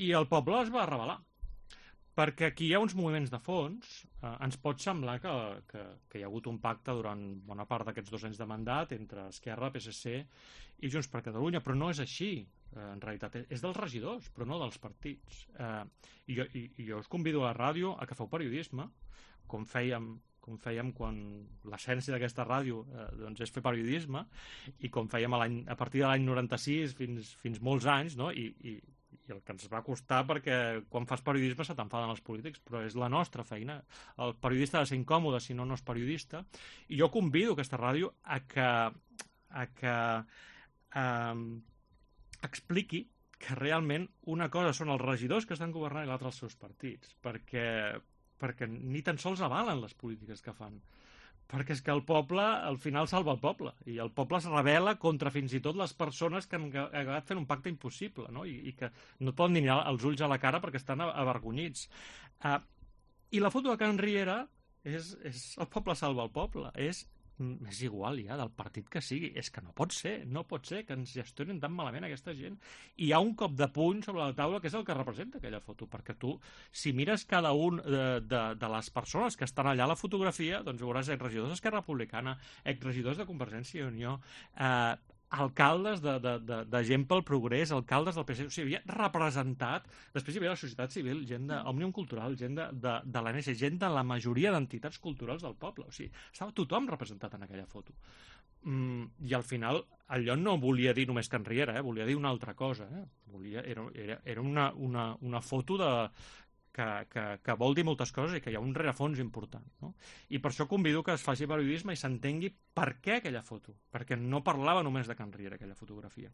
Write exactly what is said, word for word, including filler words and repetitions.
I el poble es va rebel·lar. Perquè aquí hi ha uns moviments de fons. Eh, ens pot semblar que, que, que hi ha hagut un pacte durant bona part d'aquests dos anys de mandat entre Esquerra, P S C i Junts per Catalunya, però no és així. Eh, en realitat és dels regidors, però no dels partits. Eh, i, jo, i, I jo us convido a la ràdio a que feu periodisme, com fèiem com fèiem quan l'essència d'aquesta ràdio eh, doncs és fer periodisme, i com fèiem a, a partir de l'any noranta-sis fins, fins molts anys, no? I, i, i el que ens va costar, perquè quan fas periodisme se t'enfaden els polítics, però és la nostra feina. El periodista ha de ser incòmode, si no, no és periodista. I jo convido aquesta ràdio a que, a que eh, expliqui que realment una cosa són els regidors que estan governant i l'altra els seus partits, perquè perquè ni tan sols avalen les polítiques que fan. Perquè és que el poble, al final, salva el poble. I el poble es rebel·la contra fins i tot les persones que han acabat fent un pacte impossible, no? I, i que no poden ni mirar els ulls a la cara perquè estan avergonyits. Uh, I la foto de Can Riera és, és el poble salva el poble. És és igual ja, del partit que sigui. És que no pot ser, no pot ser que ens gestionen tan malament aquesta gent. I hi ha un cop de puny sobre la taula que és el que representa aquella foto, perquè tu, si mires cada un de, de, de les persones que estan allà a la fotografia, doncs veuràs exregidors d'Esquerra Republicana, exregidors de Convergència i Unió, eh, alcaldes de, de, de, de Gent pel Progrés, alcaldes del P S C, o sigui, havia representat, després hi havia la societat civil, gent d'Òmnium Cultural, gent de, de, de l'A N S, gent de la majoria d'entitats culturals del poble, o sigui, estava tothom representat en aquella foto. Mm, I al final, allò no volia dir només Can Riera, eh? Volia dir una altra cosa, eh? Volia, era, era, era una, una, una foto de... Que, que, que vol dir moltes coses i que hi ha un rerefons important, no? I per això convido que es faci periodisme i s'entengui per què aquella foto, perquè no parlava només de Can Riera aquella fotografia.